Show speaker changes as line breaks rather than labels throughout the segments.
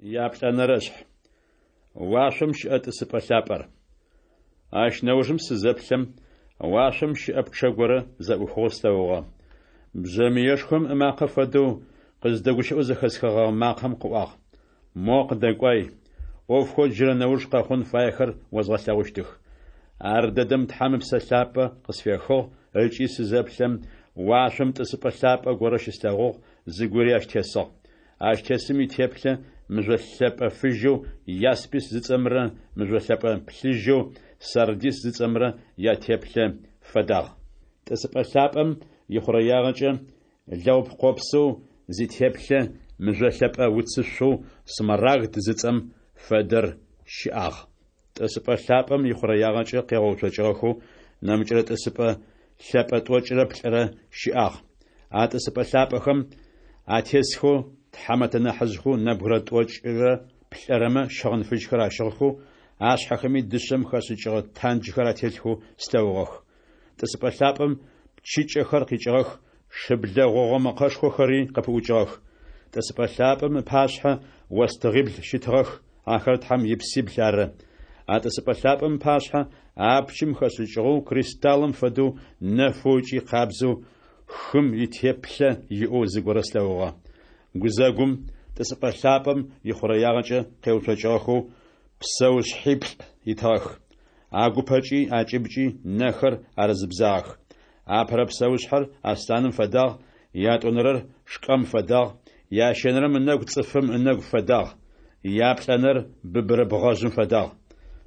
Яплӏэнэрэшъхь. Уашъом щыӏэ тӏысыпӏэ лъапӏэр. Ащ нэужым сызэплъэм, уашъом щыӏэ пчъэ горэ зэӏухыгъэу слъэгъугъэ. Бжъэмыешхом ымакъэ фэдэу, къыздэгущыӏэу зэхэсхыгъэгъэ макъэм къыӏуагъ: Мо къыдэкӏуай, ӏофхэу джырэ нэуж къэхъун фаехэр озгъэлъэгъущтых. Ардэдэм Тхьэм Ыпсэ Лъапӏэ къысфехыгъ ыкӏи сызэплъэм, уашъом тӏысыпӏэ лъапӏэ горэ щыслъэгъугъ, зыгори ащ тесыгъ. Ащ тесым итеплъэ мыжъо лъэпӏэ фыжьэу яспис зыцӏэмрэ мыжъо лъэпӏэ плъыжьэу сардис зыцӏэмрэ ятеплъэ фэдагъ. Тӏысыпӏэ лъапӏэм ихъурэягъэкӏэ лэгъупкъопсэу зитеплъэ мыжъо лъэпӏэ уцышъоу смарагд зыцӏэм фэдэр щыӏагъ. Тӏысыпӏэ лъапӏэм ихъурэягъэкӏэ къегъэуцокӏыгъэхэу нэмыкӏрэ тӏысыпӏэ лъэпӏэ тӏокӏырэ плӏырэ щыӏагъ. А тӏысыпӏэ лъапӏэхэм атесхэу тхьамэтэ нахьыжъхэу нэбгырэ тӏокӏырэ плӏырэмэ щыгъын фыжьхэр ащыгъхэу, ашъхьэхэми дышъэм хэшӏыкӏыгъэ танджхэр ателъхэу слъэгъугъэх. Тӏысыпӏэ лъапӏэм пчыкӏэхэр къикӏыгъэх, шыблэ гъогъо мэкъэшхохэри къыпыӏукӏыгъэх. Тӏысыпӏэ лъапӏэм ыпашъхьэ остыгъибл щытыгъэх, ахэр Тхьэм ипсибл ары. А тӏысыпӏэ лъапӏэм ыпашъхьэ апчым хэшӏыкӏыгъэу кристаллым фэдэу нэфэу ыкӏи къабзэу хым итеплъэ иӏэу зыгорэ слъэгъугъэ. Гузэгум, тӏысыпӏэ лъапӏэм ихъурэягъэкӏэ къеуцокӏыгъэхэу псэушъхьиплӏ итыгъэх. Агупэкӏи акӏыбкӏи нэхэр арызыбзагъэх. Апэрэ псэушъхьэр аслъаным фэдагъ, ятӏонэрэр шкӏэм фэдагъ, ящэнэрэм ынэгу цӏыфым ынэгу фэдагъ, яплӏэнэр быбырэ бгъэжъым фэдагъ.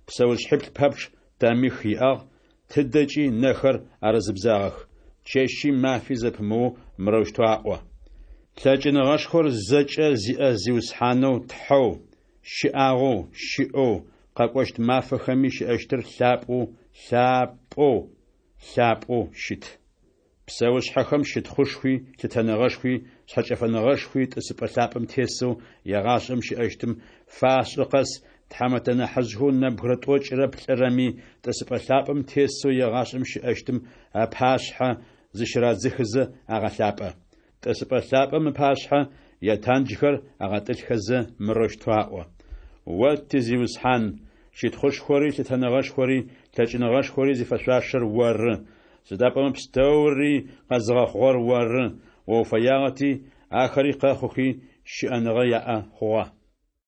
Псэушъхьиплӏ пэпчъ тэмих иӏагъ, тыдэкӏи нэхэр арызыбзагъэх. Чэщи мафи зэпымыоу мырэущтэу аӏо: Лъэкӏыныгъэшхор зэкӏэ зиӏэ Зиусхьанэу Тхьэу, щыӏагъэу, щыӏэу, къэкӏощт мафэхэми щыӏэщтыр лъапӏэу, лъапӏэу, лъапӏэу щыт. Псэушъхьэхэм щытхъушхуи, лъытэныгъэшхуи, шъхьэкӏэфэныгъэшхуи тӏысыпӏэ лъапӏэм тесэу егъашӏэм щыӏэщтым фашӏы къэс, тхьамэтэ нахьыжъхэу нэбгырэ тӏокӏырэ плӏырэми тӏысыпӏэ лъапӏэм тесэу егъашӏэм щыӏэщтым ыпашъхьэ зыщырадзыхызэ агъэлъапӏэ. Тӏысыпӏэ лъапӏэм ыпашъхьэ ятанджхэр агъэтӏылъхэзэ мырэущтэу аӏо: О ти Зиусхьан, щытхъушхори, лъытэныгъэшхори, лъэкӏыныгъэшхори зифэшъуашэр оры, сыда пӏомэ пстэури къэзыгъэхъугъэр оры, о уфэягъэти, ахэри къэхъухи, щыӏэныгъэ яӏэ хъугъэ.